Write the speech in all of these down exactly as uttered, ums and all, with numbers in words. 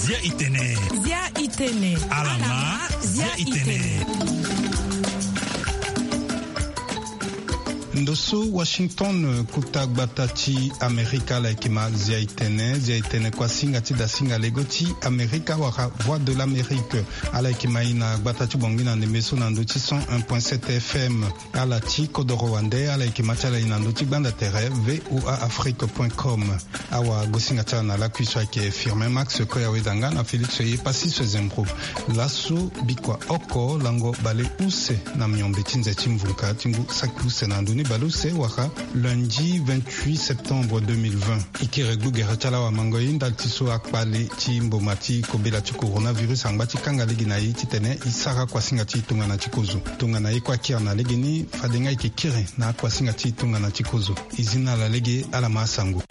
Zia itene. Zia itene. Alama. Zia itene. Ndo so Washington, kuta gbata ti Amerika, ala yeke ma Zia itene. Zia itene kuasinga ti dasinga lego ti Amerika wala Voix de l'Amérique. Ala yeke ma e na gbata ti Bangui na ndembe so na ndö ti cent un point sept F M. Ala ti kodoro wande, ala yeke ma ti ala e na ndö ti gbanda tere V O A Afrique point com. Awagosinga ti ala na lakui so ayeke Firmin Max Koyaweda nga na Félix Yepassis Zembro. Laso bikua oko lango bale use na miombe ti nze ti mvunka ti ngu saki use na ndö ni bale use wala lundi vingt-huit septembre deux mille vingt. E kiri gbu gere ti ala wamango e ndali ti so akpale ti mboma ti kobela ti coronavirus angba ti kanga lege na e titene e sara kuasinga ti tongana ti kozo. Tongana e kue akiri na lege ni, fade nga e yeke kiri na akuasinga ti tongana ti kozo. E zi na ala lege, ala ma asango.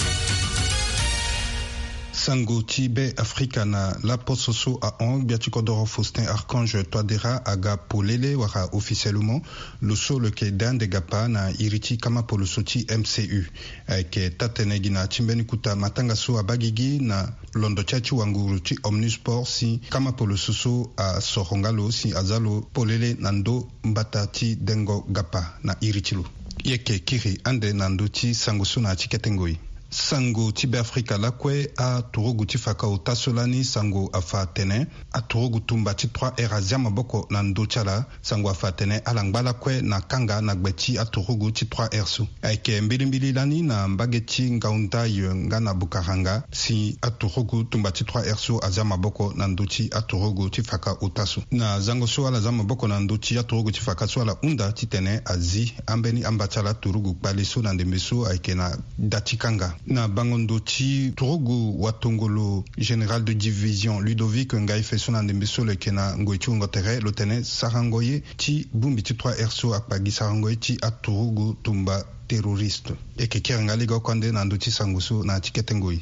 Sango ti Be Afrika na laposo so ahon, gbia ti kodoro Faustin Archange Touadéra aga polele wala officiellement lo so lo yeke dende gapa na iri ti kama poloso ti M C U. Ayeke taa-tënë gi na ya ti mbeni kota matanga so abaa gigi na londo ti aye ti wanguru ti Omnisport si kama poloso so asoro nga lo si aza lo polele na ndö mbata ti dengo gapa na iri ti lo. E yeke kiri ande na ndö ti sango so na ya ti kete ngoi. Sango ti Be Afrika lakue, aturugu ti faka ota so lani sango afa atene aturugu tumba ti trois R azia maboko na ndö ti ala. Sango afa atene ala ngba lakue na kanga na gbe ti aturugu ti trois R so. Ayeke mbilimbili lani na mbage ti Ngaoundai nga na Bukaranga si aturugu tumba ti trois R so azia maboko na ndö ti aturugu ti faka ota so. Na zango so ala zia maboko na ndö ti aturugu ti faka so, ala hunda titene azi ambeni amba ti ala turugu kpale so na ndembe so ayeke na da ti kanga. Na bango ndo ti turugu watongolo général de division Ludovic Ngaïfe so na ndembe so lo yeke na ngoi ti wungo tere, lo tene sarango ye ti bongbi ti trois R so akpa gi sarango ye ti aturugu tumba terroriste. E yeke kiri nga lege oko ande na ndö ti sango so na ya ti kete ngoi.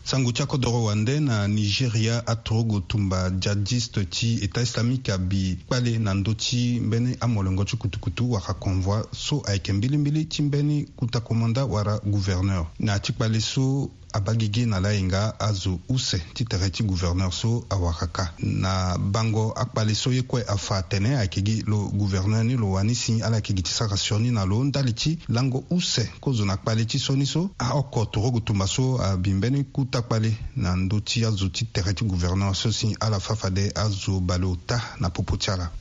Sango ti akodoro wande na Nigeria, aturugu tumba djihadiste ti État islamique abi kpale na ndö ti mbeni amolongo ti kutukutu wala convoi so ayeke mbilimbili ti mbeni kuta komanda wala gouverneur. Na ya ti kpale so abaa gigi na layenga azo use ti tere ti gouverneur so awara kâ. Na bango akpale so ye kue afa atene ayeke gi lo gouverneur ni lo wani si ala yeke gi ti sara sioni na lo ndali ti lango use kozo na kpale ti sioni so. Aoko turugu tumba so abi mbeni kuta kpale na ndö ti azo ti tere ti gouverneur so si ala fâ fade azo baleota na popo ti ala.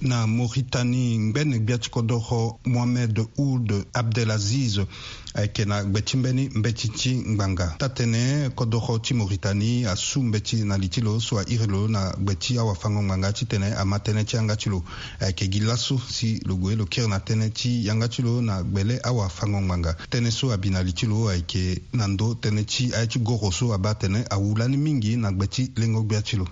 Na Mauritanie, ngbene gbia ti kodoro Mohamed Ould Abdelaziz ayeke na gbe ti mbeni mbeti ti ngbanga. Taa-tënë kodoro ti Mauritanie asu mbeti na li ti lo so airi lo na gbe ti awafango-ngbanga titene ama tënë ti yanga ti lo. Ayeke gi laso si lo gue lo kiri na tënë ti yanga ti lo na gbele awafango-ngbanga. Tënë so abi na li ti lo ayeke na ndö tënë ti aye ti goro so abaa atene awu lani mingi na gbe ti lengo gbia ti lo.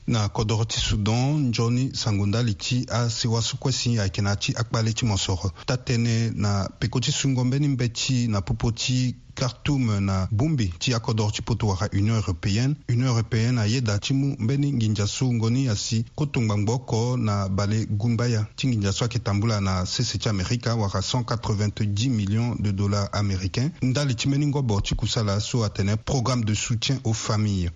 Na kodoro ti Soudan, nzoni sango ndali ti asewa so kue si ayeke na ya ti akpale ti mosoro. Taa-tënë na peko ti sungo mbeni mbeti na popo ti Khartoum na bongbi ti akodoro ti poto wala Union européenne. Union européenne ayeda ti mu mbeni nginza so wungo ni asi koto ngbangbo oko na bale gumbaya ti nginza so ayeke tambula na sese ti Amerika wala cent quatre-vingt-dix millions de dollars américains ndali ti mbeni ngobo ti kusala so atene programme de soutien aux familles.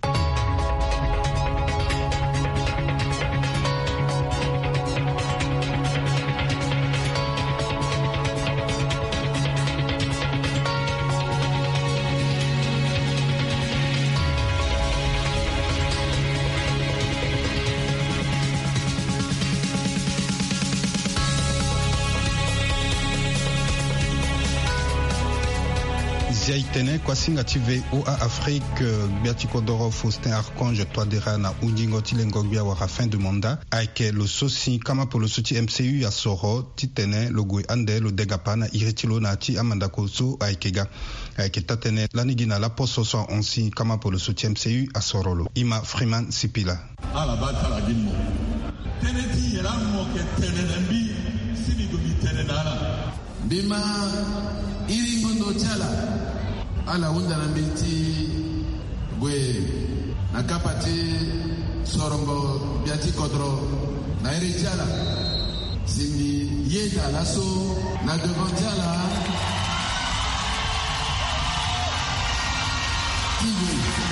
Zia itene kuasinga ti V O A Afrique, gbia ti kodoro Faustin Archange Touadéra na hunzingo ti lengo gbia wala fin de mandat ayeke lo so si kama poloso ti M C U asoro titene lo gue ande lo degapa na iri ti lo na ya ti amandako so ayeke ga. Ayeke taa-tënë lani gi na laposo so ahon si kama poloso ti M C U asoro lo. Ima Freeman Sipila. Ala baa ti ala gi mo. Tënë ti yere amo yeke tene na mbi si mbi gue mbi tene na ala. Mbi ma iri ngondo ti ala. Ala hunda na mbi ti gue na kapa ti sorongo gbia ti kodro na iri ti ala. Si mbi yeda laso na devant ti ala.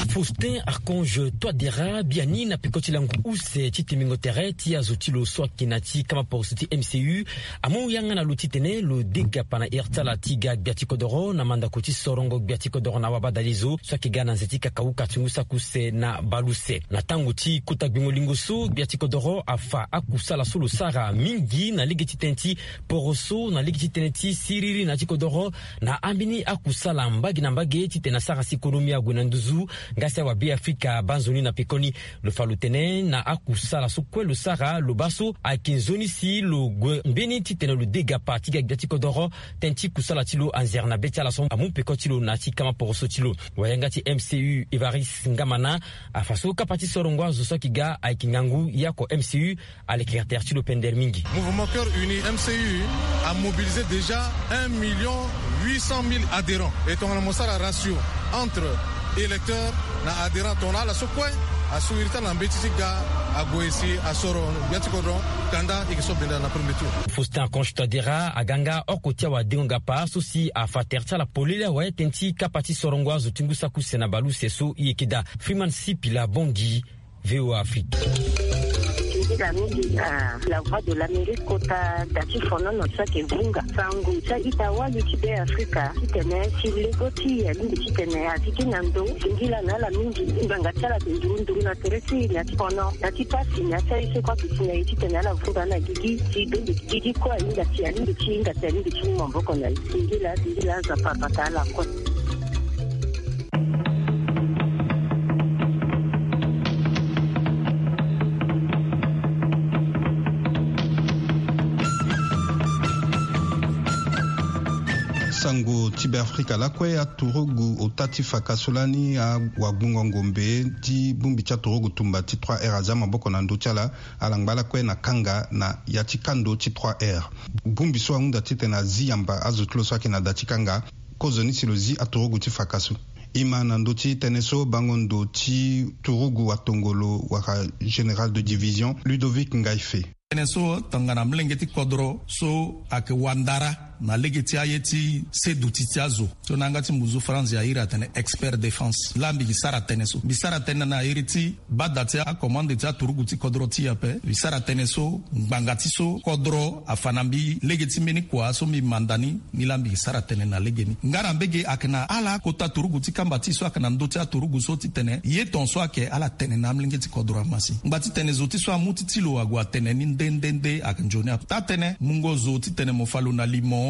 Faustin Archange Touadéra, biani na peko ti langu use ti timbingo tere ti azo ti lo so ayeke na ti kama poroso ti M C U, amu yanga na lo titene lo degapa na ere ti ala ti ga gbia ti kodoro na mandako ti sorongo gbia ti kodoro na wabadalizo so ayeke ga na nze ti kakauka ti ngu saki use na baleuse. Na tango ti kota gbingo lingo so, gbia ti kodoro afa akusala so lo sara mingi na lege ti tënë ti poroso, na lege ti tënë ti siriri na ya ti kodoro, na ambeni akusala mbage na mbage titene asara si konomi ague na nduzu. Nga si awabe afrika abaa nzoni na pekoni. Lo fa lo tene na akusala so kue lo sara, lo baa so ayeke nzoni si lo gue mbeni titene lo degapa ti ga gbia ti kodoro. Tënë ti kusala ti lo anzere na be ti ala so amu peko ti lo na ya ti kama poroso ti lo. Wayanga ti M C U Evariste Ngamana afa so kapa ti sorongo azo so ayeke ga ayeke ngangu ye oko M C U. Aleke tere ti lo pendere mingi. Mouvement Cœur Uni, M C U, a mobilisé déjà un million huit cent mille adhérents. Et tongana mo sara ratio entre électeurs na adhérents, tongana ala so kue asu iri ti ala na mbeti ti ga ague si asoro gbia ti kodro kanda eke so benda na premier tour. Faustin Archange Touadéra aga nga oko ti awadengo-ngapa so si afa tere ti ala polele awe tënë ti kapa ti sorongo azo ti ngu saki use na baleuse so e yeke daa. Freeman Sipila Bongi, V O A Afrique. Singila mingi na La Voix de l'Amérique kota da ti fonono so ayeke vunga sango ti a-ita wali ti Be Afrika titene si lego ti e alingbi titene a zi ti na ndo. Singila na ala mingi. Ngbanga ti ala ayeke nduru nduru na tere ti e na ya ti fono, na ya ti pasi, na ya ti aye so kue ayeke si na e titene ala vunga na gigi si be gigi kue ahinga si alingbi ti hinga si alingbi ti mu maboko na e. Singila, singila, Nzapa abata ala kue. Sango ti Be Afrika lakue. Aturugu ota ti faka so lani awagbungo ngombe ti bongbi ti aturugu tumba ti trois R aza maboko na ndö ti ala. Ala ngba lakue na kanga na ya ti kando ti trois R. Bongbi so ahunda titene azi yamba azo ti lo so ayeke na da ti kanga. Kozoni si lo zi aturugu ti faka so. E ma na ndö ti tënë so bango ndo ti turugu atongolo wala général de division Ludovic Ngaife. Tënë so tongana molenge ti kodro so ayeke wandara na lege ti aye ti seduti ti azo so na yanga ti mbuzu France airi atene expert défense. Laa mbi gi sara tënë so, mbi sara tënë na iri ti bada ti akomande ti aturugu ti kodro ti e ape. Mbi sara tënë so ngbanga ti so kodro afa na mbi lege ti mbeni kua so mbi manda ni. Nilaa mbi gi sara tënë na legeni nga na mbege ayeke na ala kota turugu ti kamba ti e so ayeke na ndö ti aturugu so titene ye ton so ayeke ala tene na amolenge ti kodro ama si ngba titene zo ti so amu ti ti lo ague atene ni nde nde nde ayeke nzoni ape. Taa-tënë mungo zo titene mo fa lo na limo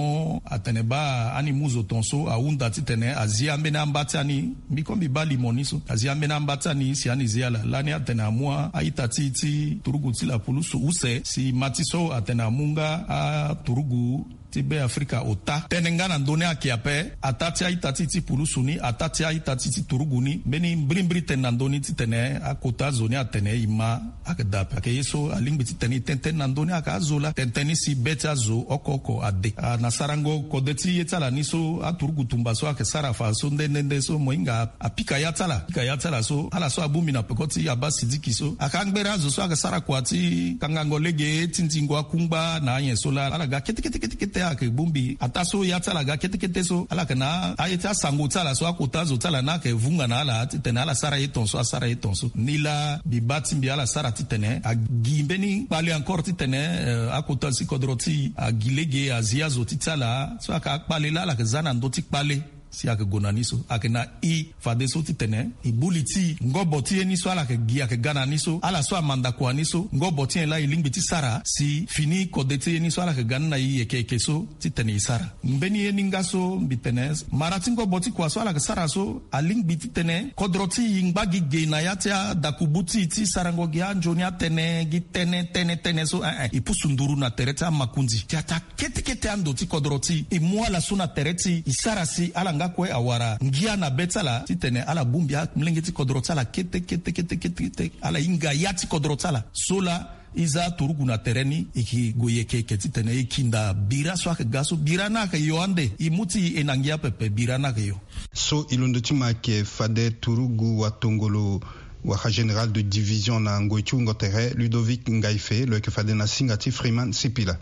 atene baa ani mu zo ton so ahunda titene azi ambeni amba ti ani. Mbi kue mbi baa limo ni so azi ambeni amba ti ani si ani zi ala lani atene amu a-ita ti e ti turugu ti lapulusu use si ma ti so atene amu nga aturugu ti Be Afrika ota. Tënë nga na ndö ni ayeke ape. Ataa ti a-ita ti e ti pulusu ni, ataa ti a-ita ti e ti turugu ni, mbeni mbirimbiri tënë na ndö ni titene akota zo ni atene e ma ayeke daa ape. Ayeke ye so alingbi titene e tene tënë na ndö ni ayeke azo laa tene tënë ni si be ti azo oko oko ade. Ah, na sarango kode ti ye ti ala ni so aturugu tumba so ayeke sara fa so nde nde nde so mo hinga apika ya ti ala, apika ya ti ala so ala so abongbi na peko ti Abba Sidiki so ayeke angbere azo so ayeke sara kua ti kangango lege ti ndingo akungba na anyen so laa ala ga kete kete kete kete ayeke bongbi ataa so ya ti ala ga kete kete so ala yeke na aye ti asango ti ala so akota azo ti ala ni ayeke vunga na ala titene ala sara ye ton so asara ye ton so. Nilaa mbi baa ti mbi ala sara titene agi mbeni kpale encore titene, eh, akota si kodro ti e agi lege azi azo ti ti ala so ayeke akpale laa ala yeke za na ndö ti kpale. Si ayeke gue na ni so ayeke na e fadeso titene e bu li ti e ngobo ti ye ni so ala yeke gi ayeke ga na ni so ala so amanda kua ni so ngobo ti nyen laa e lingbi ti sara si fini kode ti ye ni so ala yeke ga ni na e yeke yeke so titene e sara. Mbeni ye ni nga so mbi tene mara ti ngobo ti kua so ala yeke sara so alingbi titene kodro ti e ngba gi ge na ya ti adakubu ti e ti sarango gi anzoni atene gi tënë tënë tënë so eh eh e pusu nduru na tere ti amakonzi ti ataa kete kete ando ti kodro ti e. E mu ala so na tere ti e e sara si ala nga kue awara ngia na be ti ala titene ala bongbi amolenge ti kodro ti ala kete kete kete kete kete ala hinga ya ti kodro ti ala so laa e za aturugu na tere ni e ke gue yeke yeke titene e kinda bira so ayeke ga so bira ni ayeke yo ande e mu ti e na ngia pepe bira ni ayeke yo. So e londo ti ma ayeke fade turugu watongolo wala général de division na ngoi ti wungo tere Ludovic Ngaife lo yeke fade na singa ti Freeman Sipila.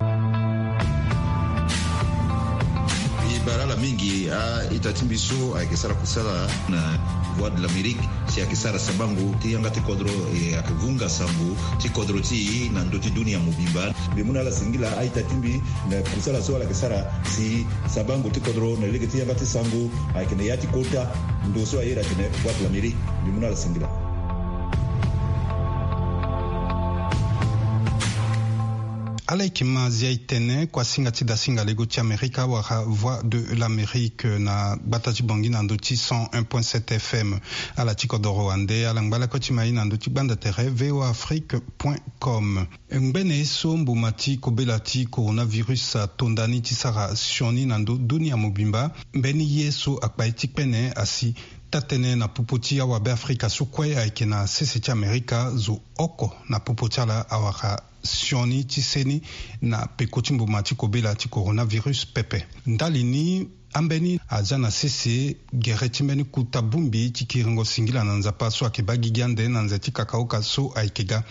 Bara ala mingi a-ita ti mbi so ayeke sara kusala na Voix de l'Amérique, si ayeke sara sabango ti yanga ti kodro, e ayeke vunga sango ti kodro ti e na ndö ti dunia mobimba. Mbi mu na ala singila a-ita ti mbi na kusala so ala yeke sara si sabango ti kodro na lege ti yanga ti sango ayeke na ya ti kota ndo so ayeda atene Voix de l'Amérique. Mbi mu na ala singila. Ala yeke ma zia e tene kuasinga ti dasinga lego ti Amerika wala Voix de l'Amérique na gbata ti Bangui na ndö ti cent un point sept F M. Ala ti kodoro wande, ala ngba lakue ti ma e na ndö ti gbanda tere V O A Afrique point com. Ngbene ye so mbuma ti kobela ti coronavirus ato ndani ti sara sioni na ndö dunia mobimba, mbeni ye so akpa ye ti kpene asi taa-tënë na popo ti awabe Afrika so kue ayeke na sese ti Amerika zo oko na popo ti ala awara sioni ti seni na peko ti mbuma ti kobela ti coronavirus pepe. Ndali ni, ambeni aza na sese gere ti mbeni kuta bongbi ti kiringo singila na Nzapa so ayeke baa gigi ande na nze ti kakaoka so ayeke ga.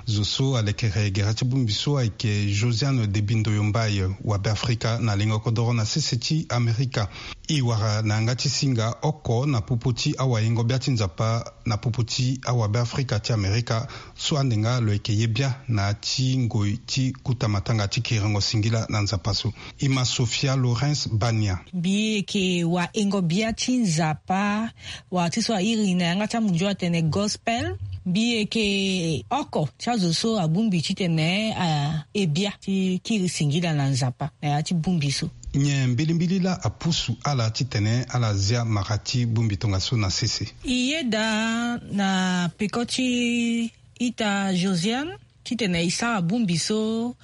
Zo so alekere gere ti bongbi so ayeke Josiane Debindo Yombaye, wabe Afrika na lengo kodoro na sese ti Amerika. E wara na yanga ti singa oko na popo ti awayengo-bia ti Nzapa na popo ti awabe Afrika ti Amerika so ande nga lo yeke ye bia na ya ti ngoi ti kuta matanga ti kiringo singila na Nzapa so. E ma Sofia Lawrence Bania. Mbi yeke wayengo-bia ti Nzapa, wala ti so a iri na yanga ti amunzu atene gospel. Mbi yeke oko ti azo so abongbi titene a e bia ti kiri singila na Nzapa na ya ti bongbi so. Nyen mbilimbili laa apusu ala titene ala zia mara ti bongbi tongaso na sese? E yeda na peko ti ita Josiane titene e sara bongbi so,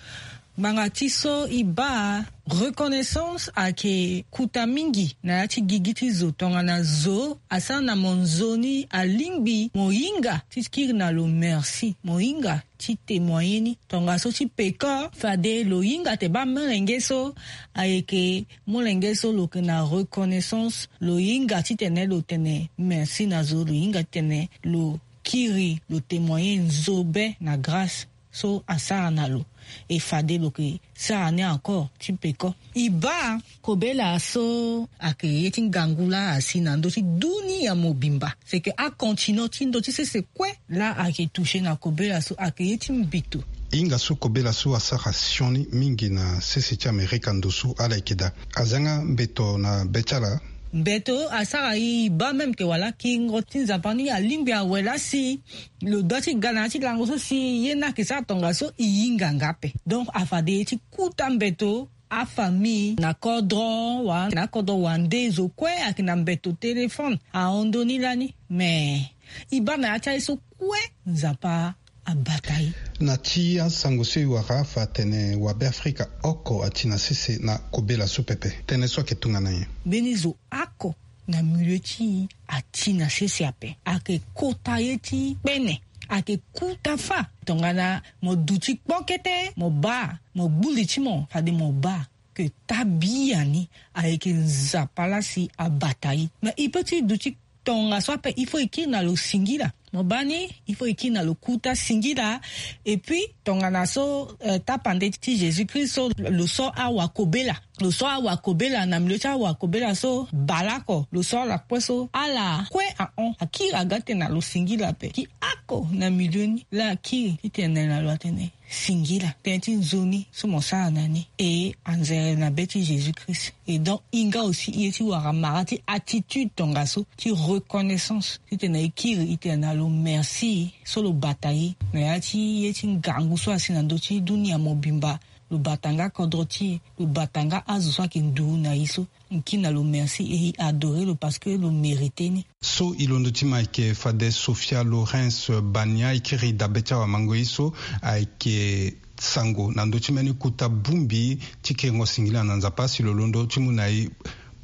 ngbanga ti so e baa reconnaissance ayeke kuta mingi na ya ti gigi ti zo tongana zo asara na mo nzoni alingbi mo hinga ti kiri na lo merci, mo hinga ti témoigner ni. Tongaso ti peko fade lo hinga te baa molenge so ayeke molenge so lo yeke na reconnaissance, lo hinga titene lo tene merci na zo, lo hinga titene lo kiri lo témoigner nzo be na grâce so asara na lo. E fade lo yeke sara ni encore ti peko. E baa kobela so ayeke ye ti ngangu laa asi na ndö ti dunia mobimba. C'est que acontinent ti ndö ti sese kue laa ayeke toucher na kobela so ayeke ye ti mbito. Hinga so kobela so asara sioni mingi na sese ti Amerika ndo so ala yeke daa. Aza nga mbeto na be ti ala. Mbeto asara e, e baa même ke wala kiringo ti Nzapa ni alingbi awe laa si lo doit ti ga na ya ti lango so si ye ni ayeke sara tongaso e hinga nga ape. Donc afade ye ti kuta mbeto, afamille na kodro wala na kodro wande zo kue ayeke na mbeto téléphone ahon ndö ni lani. Mais e baa na ya ti aye so kue Nzapa abata e. Na ti asango so e wara afa atene wabe Afrika oko ati na sese na kobela so pepe. Tënë so ayeke tongana nyen? Mbeni zo oko na milieu ti e ati na sese ape. Ayeke kota ye ti kpene. Ayeke kuta fâ. Tongana mo duti kpo kete mo baa, mo gbu li ti mo fade mo baa ke taa biani ayeke Nzapa laa si abata e. Mais e peut ti duti tongaso ape, il faut e kiri na lo singila. Mo baa ni, il faut e kiri na lo kuta singila. Et puis tongana so, eh, tapande ti Jésus-Christ so lo so awakobela, lo so awakobela na milieu ti awakobela so baleoko lo so ala kue so ala kue ahon akiri aga tene na lo singila ape. Ki oko na milieu ni laa akiri titene na lo atene singila tënë ti nzoni so mo sara na ni e anzere na be ti Jésus-Christ. E donc hinga aussi ye ti wara mara ti attitude tongaso ti reconnaissance titene e kiri e tene na lo merci so lo bata e na ya ti ye ti ngangu so asi na ndö ti dunia mobimba. Lo bata nga kodro ti e, lo bata nga azo so ayeke nduru na e so. N kiri na lo merci et e adore lo parce que lo mérite ni. So e londo ti ma ayeke fade Sofia Lawrence Bania, e kiri dabe ti awamango ye so ayeke sango na ndö ti mbeni kota bongbi ti kiringo singila na Nzapa. Si lo londo ti mu na e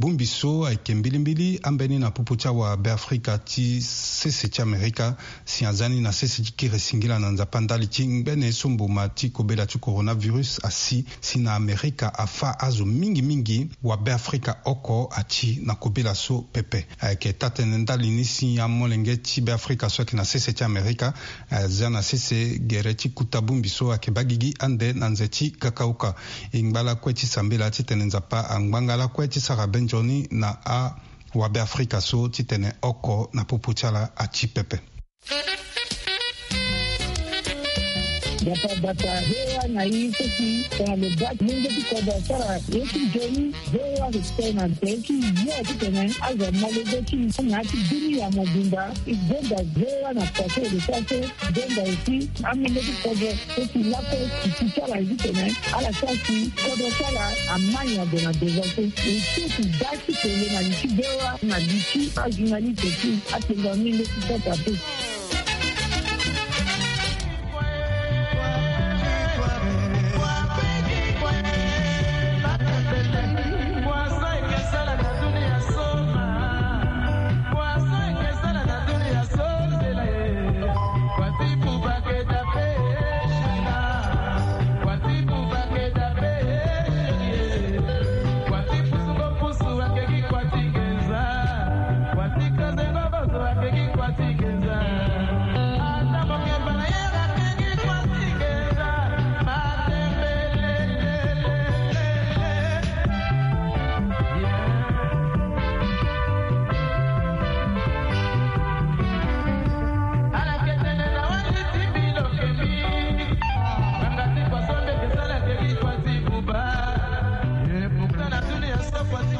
Bongbi so ayeke mbilimbili ambeni na popo ti awabeafrika ti sese ti amerika, si aza ni na sese ti kiri singila na nzapa ndali ti ngbene so mboma ti kobela ti coronavirus asi, si na amerika afa azo mingi mingi wabeafrika oko ati na kobela so pepe. Ayeke taa-tënë ndali ni si amolenge ti beafrika so ayeke na sese ti amerika aza na sese gere ti kuta bongbi so ayeke baa gigi ande na nze ti kakauka. E ngba lakue ti sambela titene nzapa angba nga lakue ti sara be nzoni na awabeafrika so titene oko na popo ti ala ati pepe. Bata bata hewa na i soki tongana lo baa lenge ti kodro asara ye ti nzoni. Hewa respect na nze ti yo titene azo amolenge ti na ya ti dunia mobimba. E gonda hewa na pase e lo sara so. Gonda aussi amolenge ti kodro so si lakue si ti ti ala ye titene ala sara si kodro ti ala amai na gue na devant so. E so si da ti tene na li ti hewa na li ti ajournaliste ti atenga amolenge ti sota te.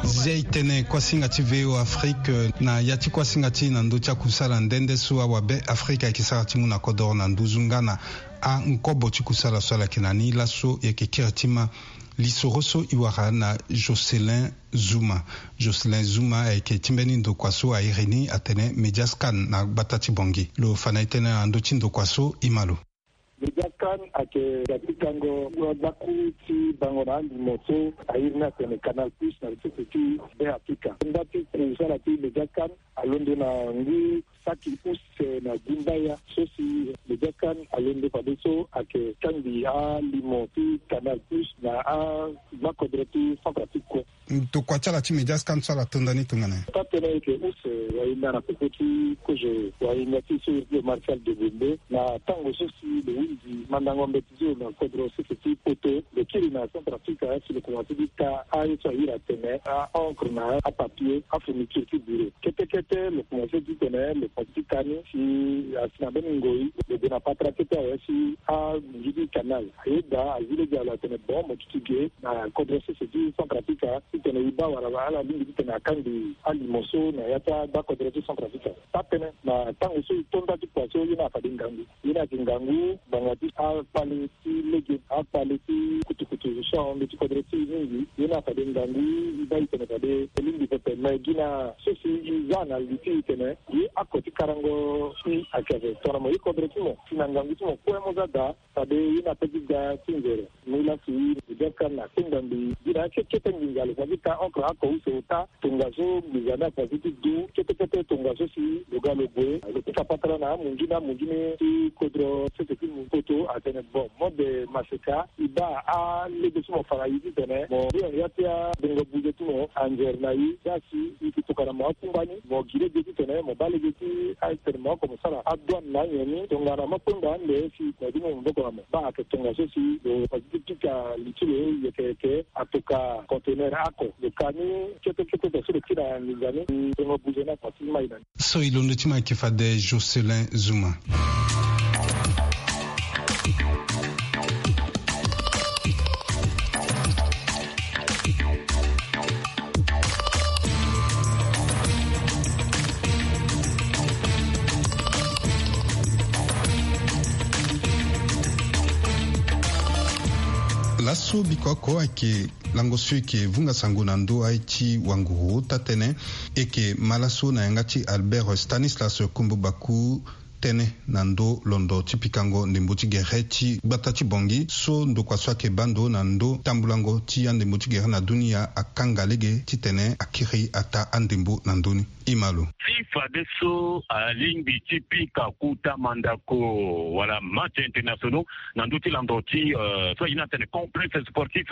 Zia e tene kuasinga ti V O Afrique na ya ti kuasinga ti na ndö ti akusala nde nde so awabe Afrika ayeke sara ti mu na kodoro na nduzu nga na ankobo ti kusala so ala yeke na ni laso e yeke kiri ti ma lisoro so e wara na Jocelyn Zuma. Jocelyn Zuma ayeke ti mbeni ndokua so a iri ni atene Mediascan na gbata ti Bangui. Lo fa na e tënë na ndö ti ndokua so e ma lo. Mediascan ayeke ga ti kango gbakuru ti bango na alimo so a iri ni atene Canal Plus na lisese ti Be Afrika. Nda ti kusala ti Mediascan alondo na ngu saki use na gumbaya so si Mediascan alondo fadeso ayeke kangbi alimo ti Canal Plus na agbakodro ti Centrafrique kue. Ndokua ti ala ti Mediascan so ala to nda ni tongana nyen? Taa-tënë ayeke use wahinda na popo ti kozo wahinda ti so iri ti lo Martial Degonde na tango so si lo hunzi mandango mbeti ti lo na kodro sese ti poto, lo kiri na Centrafrique si lo komanse ti ta aye so a iri atene a-encre na apapier, afourniture ti bureau. Kete kete lo komanse titene lo komanse ti ta ni si asi na mbeni ngoi lo gue na patara kete awe si amunzu ti canal ayeda azi lege alo atene bon mo duti ge na kodro sese ti Centrafrique titene e baa wala ala lingbi titene akangbi alimo so na ya ti agbakodro ti Centrafrique. Taa-tënë na tango so e to nda ti kua so ye ni afade ngangu. Ye ni ayeke ngangu ngbanga ti akpale ti lege, akpale ti kutukutu so ahon ndö ti kodro ti e mingi. Ye ni afade ngangu e baa e tene fade e lingbi pepe me gi na so si e za na li ti e tene ye ako ti karango si ayeke ape tongana mo ye kodro ti mo si na ngangu ti mo kue mo za daa. Fade ye ni ape ti ga ti nzere. Mu lasi Mediascan akpengba mbi gi na akekete nginza lo fa ti ta encre ako use ota. Tongaso nginza ni ako azi ti du kete kete tongaso si lo ga lo gue lo pika patara na amunzu ni amunzu ni ti kodro sese ti poto atene bon mode maseka e baa alege ti mo fa na e titene mo ya ti abongo buze ti mo anzere na e. Za si e yeke tokua na mo akungba ni mo gi lege titene mo baa lege ti atene mo oko mo sara adouane na anyen ni tongana mo kpengba ande si mo ya ti mo maboko na mo. Baa ayeke tongaso si lo fa ti pika li ti lo yeke yeke atoka conteneur ako lo ka ni kete kete so lo kiri na nginza ni. Tongo buze ni ako azi ti mai na ni. So e londo ti ma ayeke fade Jocelyn Zuma. Laso biko oko ayeke lango so e yeke vunga sango na ndö aye ti wanguru ota tënë. E yeke ma laso na yanga ti Albert Stanislas Kombo Baku. Tënë na ndö londo ti pikango ndembo ti gere ti gbata ti Bangui so ndokua so ayeke baa ndo na ndö tambulango ti andembo ti gere na dunia akanga lege titene akiri ataa andembo na ndö ni. Imalo. Ti fade so alingbi ti pika kota mandako wala match internationaux na ndö ti lando ti so aye ni atene complexe sportif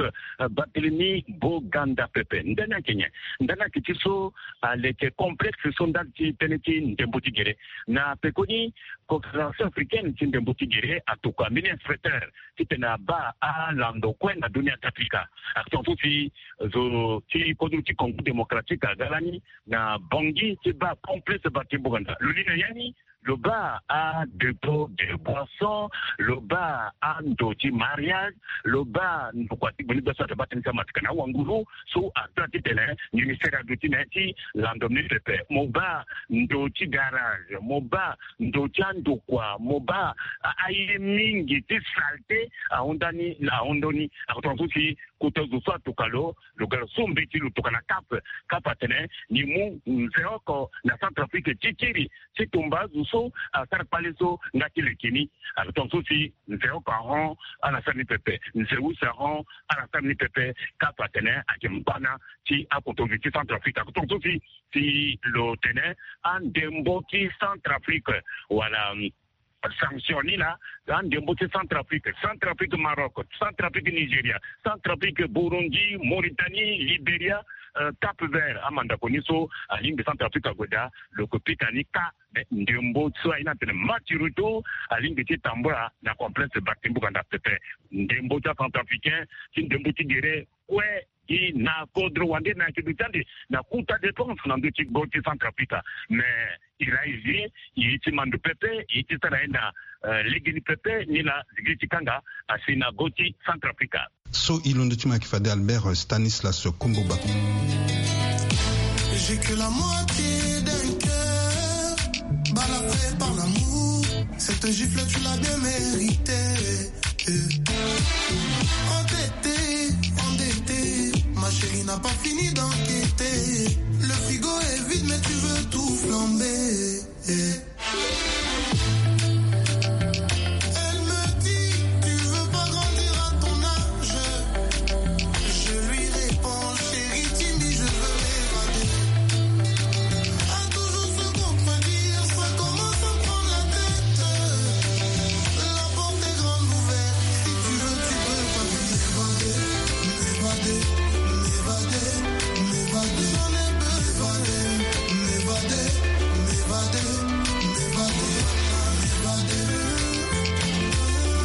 Barthélemy Boganda pepe. Ndani ayeke nyen? Ndani ayeke ti so aleke complexe so ndali ti tënë ti ndembo ti gere na pekoni Confédération africaine ti ndembo ti gere atokua mbeni inspecteur titene abaa alando kue na dunia ti Afrika. Action so si zo ti kodro ti Congo démocratique aga lani na Bangui ti baa complexe Barthélemy Boganda. Lo li na ya ni lo baa adépôt de boisson, lo baa ando ti mariage, lo baa ndokua ti gbeni gbia so ayeke baa tënë ti amateka na awanguru so aga titene ministère aduti na ya ti lando ni pepe. Mo baa ndo ti garage, mo baa ndo ti andokua, mo baa aye mingi ti saleté ahunda ni ahunda ni. Akoto na so si kota zo so atoka lo lo ga lo so mbeti lo toka na cap. Cap atene ni mu nze oko na Centrafrique ti kiri ti tumba azo so asara kpale so nga ti leke ni. Akoto na so si nze oko ahon ala sara ni pepe, nze use ahon ala sara ni pepe. Cap atene ayeke mbana ti akoto zo ti Centrafrique. Akoto na so si si lo tene andembo ti Centrafrique wala sanction ni laa andembo ti Centrafrique, Centrafrique Maroc, Centrafrique Nigeria, Centrafrique Burundi, Mauritanie, Liberia, Cap Vert. Amandako ni so alingbi Centrafrique ague daa lo ke pika ni ka. Ndembo so aye ni atene match retour alingbi ti tambula na complexe Barthélemy Boganda pepe. Ndembo ti acentrafricain ti ndembo ti gere kue gi na kodro wande na yeke duti ande na kota défense na ndö ti go ti Centrafrique. Mais il a hésité, e ye ti ma ndo pepe, e ye ti sara ye na legeni pepe ni laa zigiri ti kanga asi na go ti Centrafrique. So e londo ti ma yeke fade Albert Stanislas Komboba. J'ai que la moitié d'un cœur, balafré par l'amour. Cette gifle, tu l'as bien méritée. Endetté, endetté, ma chérie n'a pas fini d'enquêter. Le frigo est vide, mais tu veux tout flamber. Elle me dit, tu veux pas grandir à ton âge. Je lui réponds, chérie, timide, je veux m'évader. À toujours se contredire, ça commence à me prendre la tête. La porte est grande ouverte, si tu veux, tu peux partir. M'évader, m'évader, m'évader, m'évader, j'en ai besoin. M'évader, m'évader, m'évader, m'évader,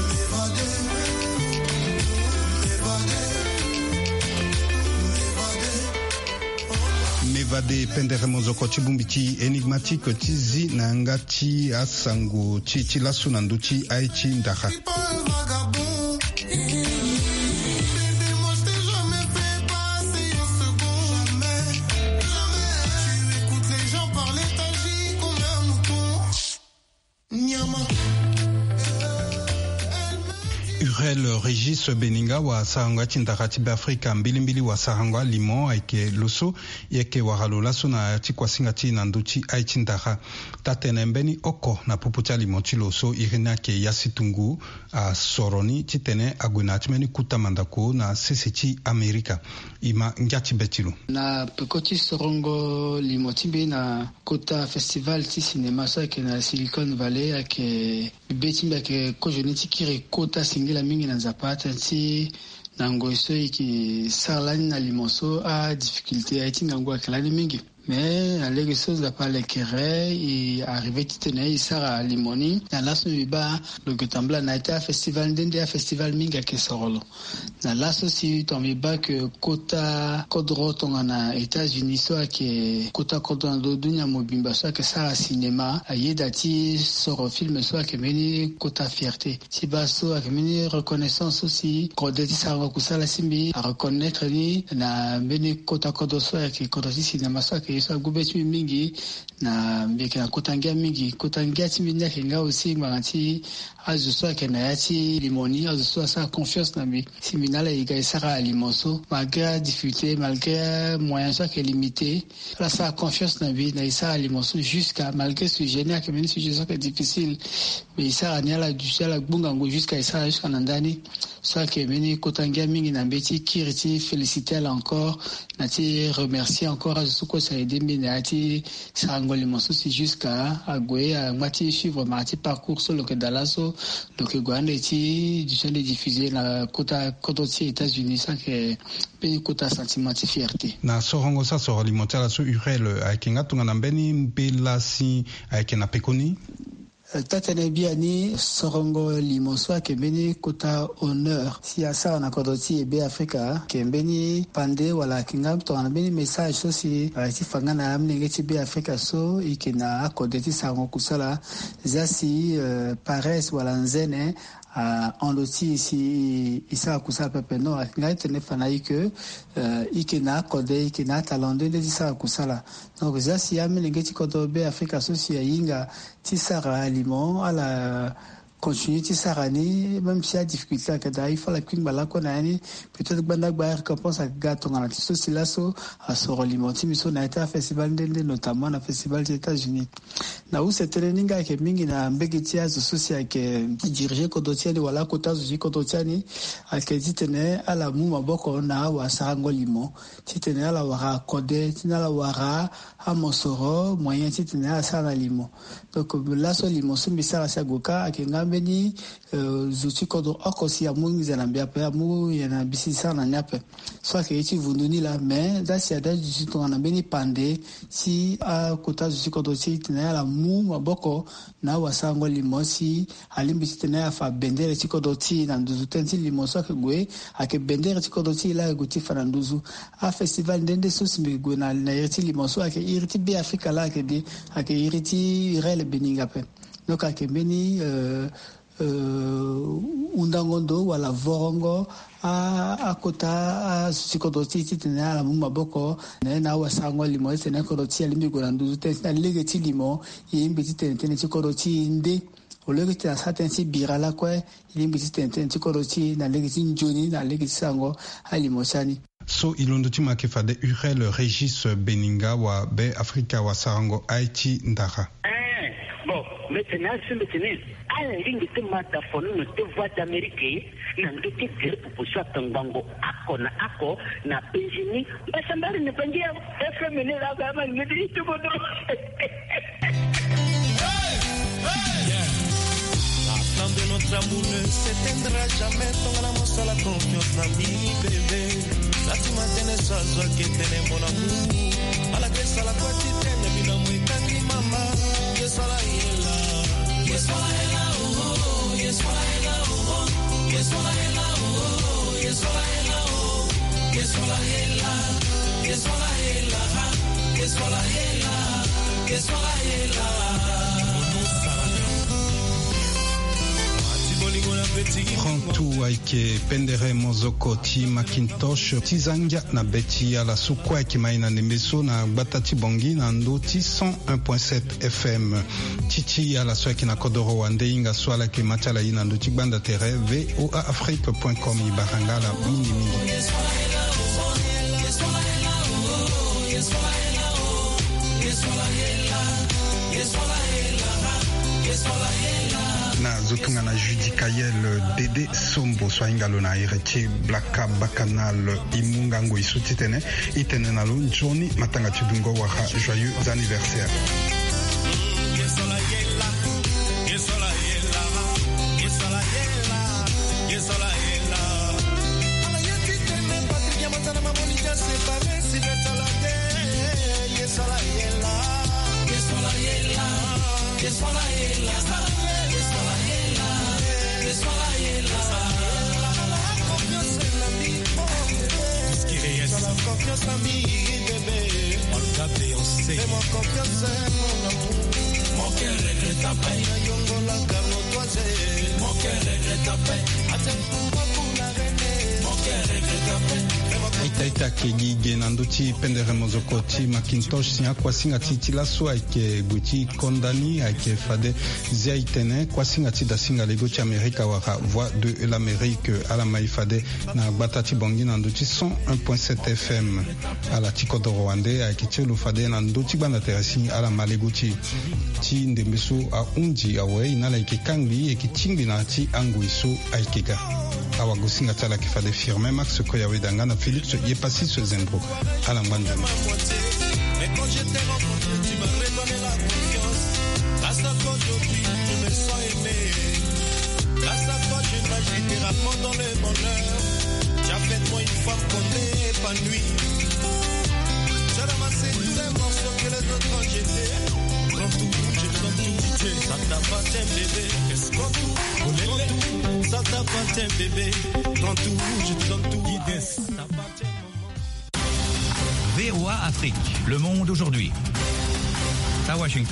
m'évader, m'évader, m'évader. Mevade pendere mozoko ti bongbi ti Énigmatique ti zi na yanga ti asango ti ti laso na ndö ti aye ti ndara. Hurel Régis Beninga wa sarango ya ti ndara ti Beafrika mbilimbili wa sarango alimo ayeke lo so e yeke wara lo laso na ya ti kuasinga ti e na ndö ti aye ti ndara. Taa-tene mbeni oko na popo ti alimo ti lo so iri ni ayeke Yasi Tungu asoro ni titene ague na ya ti mbeni kota mandako na sese ti Amerika. E ma ngia ti be ti lo. Na peko ti sorongo limo ti mbi na kota festival ti cinéma so ayeke na Silicon Valley ayeke be ti mbi ayeke kozoni ti kiri kota singila mingi na Nzapa tënë ti na ngoi so e yeke sara lani na limo so adifficulté aye ti ngangu ayeke lani mingi. Mais na lege so Nzapa alekere e arrivé titene e sara limo ni na laso mbi baa lo yeke tambula na ya ti afestival nde nde afestival mingi ayeke soro lo. Na laso si tongana mbi baa ke kota kodro tongana États-Unis so ayeke kota kodro na ndö dunia mobimba so ayeke sara cinéma ayeda ti soro film so ayeke mbeni kota fierté ti baa so ayeke mbeni reconnaissance so si kode ti sarango kusala ti mbi areconnaitre ni na mbeni kota kodro so ayeke kodro ti cinéma so ayeke Ye so ague be ti mbi mingi na mbi yeke na kota ngia mingi. Kota ngia ti mbi ni ayeke nga aussi ngbanga ti azo so ayeke na ya ti limo ni, azo so asara confiance na mbi. Si mbi na ala e ga e sara alimo so malgré adifficulté, malgré moyen so ayeke limité, ala sara confiance na mbi na e sara alimo so jusqu'à, malgré sujet ni ayeke mbeni sujet so ayeke difficile. Mais e sara ni, ala duti, ala gbu ngangu jusqu'à e sara jusqu'à na ndani. So ayeke mbeni kota ngia mingi na mbeti kiri ti féliciter ala encore, na ti remercier encore azo so kue si a aidé mbi na ya ti sarango limo so si jusqu'à ague angba ti suivre mara ti parcours so lo yeke daa laso. Lo yeke gue ande ti duti ande diffuser na kota kodro ti États-Unis, so ayeke mbeni kota sentiment ti fierté. Na sorongo so asoro limo ti ala so, Urel, ayeke nga tongana mbeni mbela si ayeke na pekoni? Eh, taa-tënë biani, sorongo limo so ayeke mbeni kota honneur si asara na kodro ti e Be Afrika, ayeke mbeni pande wala ayeke nga tongana mbeni message so si ayeke ti fa nga na amolenge ti Be Afrika so e yeke na akode ti sarango kusala. Zia si, eh, paresse wala nzene ahon lo ti e si e sara kusala pepe. Non, ayeke nga ti tene fa na e ke, eh, e yeke na akode, e yeke na atalent nde nde ti sara kusala. Donc zia si amolenge ti kodro Be Afrika so si ahinga ti sara alimo, ala continuer ti sara ni, même si adifficulté ayeke daa, il faut ala kpingba lakue na ya ni. Peut-être gbanda gba arécompense ayeke ga tongana ti so si laso asoro limo ti mbi so na ya ti afestival nde nde, notamment na festival ti États-Unis. Na use tënë ni nga ayeke mingi na mbege ti azo so si ayeke diriger kodro ti ani wala akota azo ti kodro ti ani, ayeke ti tene ala mu maboko na awasarango limo, ti tene ala wara akode, ti tene ala wara amosoro, moyen ti tene ala sara na limo. Donc laso limo so mbi sara si ague kâ ayeke nga mbeni, euh, zo ti kodro oko si amu nginza na mbi ape, amu nginza na mbi si sara na ni ape. So ayeke ye ti vundu ni laa, mais zia si ada duti tongana mbeni pande si akota zo ti kodro ti e tene ala mu maboko na awasarango limo si alingbi ti tene afa bendere ti kodro ti e na nduzu. Tënë ti limo so ayeke gue, ayeke bendere ti kodro ti e laa ayeke gue ti fa na nduzu. Afestival nde nde so si mbi yeke gue na, na iri ti limo so ayeke iri ti Be Afrika laa ayeke de, ayeke iri ti Urel Beninga ape. Donc ayeke mbeni, euh, euh, hundango ndo wala vorongo a, akota azo ti kodro ti e ti tene ala mu maboko na ye na awasarango limo ti tene kodro ti e alingbi gue na nduzu. Tënë ti na lege ti limo, e lingbi ti tene tënë ti kodro ti e nde. Au lieu ti tene asara tënë ti bira lakue, e lingbi ti tene tënë ti kodro ti e na lege ti nzoni, na lege ti sarango alimo ti ani. So e londo ti ma ayeke fade Urel Régis Beninga wa Be Afrika wa sarango aye ti ndara. Eh, bon, mbi tene asi mbi tene ala lingbi ti ma dafono na te Voix d'Amérique na ndö ti gere popo so atongbango oko na oko na penzi ni. Mbasambari na bangi ya F M ni la ba ma ni ti tumono. La flamme de notre amour ne s'éteindra jamais. Tongana mosala confiance na mini bébé. Sati matene so azwaki etene mon amour. Malgré sala kua ti tene bina mo etangi mama. Ye sala ye la. Ye sala ye la, oh, oh, ye sala ye la, oh, oh. Ye sala ye la, oh, oh, ye sala ye la, oh. Ye sala ye la, ye sala ye la, ha. Ye sala ye la, ye sala ye la. Prends tout, Aïké Pendere Mozoko ti Macintosh, ti za ngia na be ti ala so kue ayeke ma e na ndembe so na gbata ti Bangui na ndö ti cent un point sept F M. Ti ti ala so ayeke na kodoro wande hinga so ala yeke ma ti ala e na ndö ti gbanda tere V O A Afrique point com, e bara nga ala mingi mingi. Na zo tongana Judicaël Dédé Sombo so ahinga lo na iri ti Blaka Bakanal, e mu ngangu e so titene e tene na lo nzoni matanga ti dungo wala joyeux anniversaire. Confiance na mbi, bébé. Olga Beyoncé. Fais-moi confiance, mon amour. Mon cœur regrette à peine. Yongola Carlo Toise. Mon cœur regrette à peine. Attends-moi pour la reine. Mon Ita ita ayeke gi ge na ndö ti pendere mozoko ti Macintosh si akuasinga ti ti laso ayeke gue ti konda ni ayeke fade zia e tene kuasinga ti dasinga lego ti Amerika wala Voix de l'Amérique ala ma e fade na gbata ti Bangui na ndö ti cent un point sept F M. Ala ti kodoro wande ayeke ti lo fade na ndö ti gbanda tere si ala ma lego ti e. Ti ndembe so ahunzi awe e na ala yeke kangbi e yeke tingbi na ti angoi so ayeke ga. Awagosinga ti ala ayeke fade Firmin Max Koyaweda nga na Félix Yepassis Zembro. Ala ngba nzoni. Mais quand je t'ai rencontré, tu m'as redonné la confiance. Grâce à toi aujourd'hui, je me sens aimé. Grâce à toi, je nage littéralement dans le bonheur. Tu as fait de moi une femme qu'on épanouie. Tu as ramassé tous les morceaux que les autres ont jetés. Prends tout, je te donne tout. Ça t'appartient, bébé. Prends tout, prends tout. Ça t'appartient, bébé. Prends tout, je te donne tout. Ça t'appartient, maman. V O A Afrique, le monde aujourd'hui. À Washington.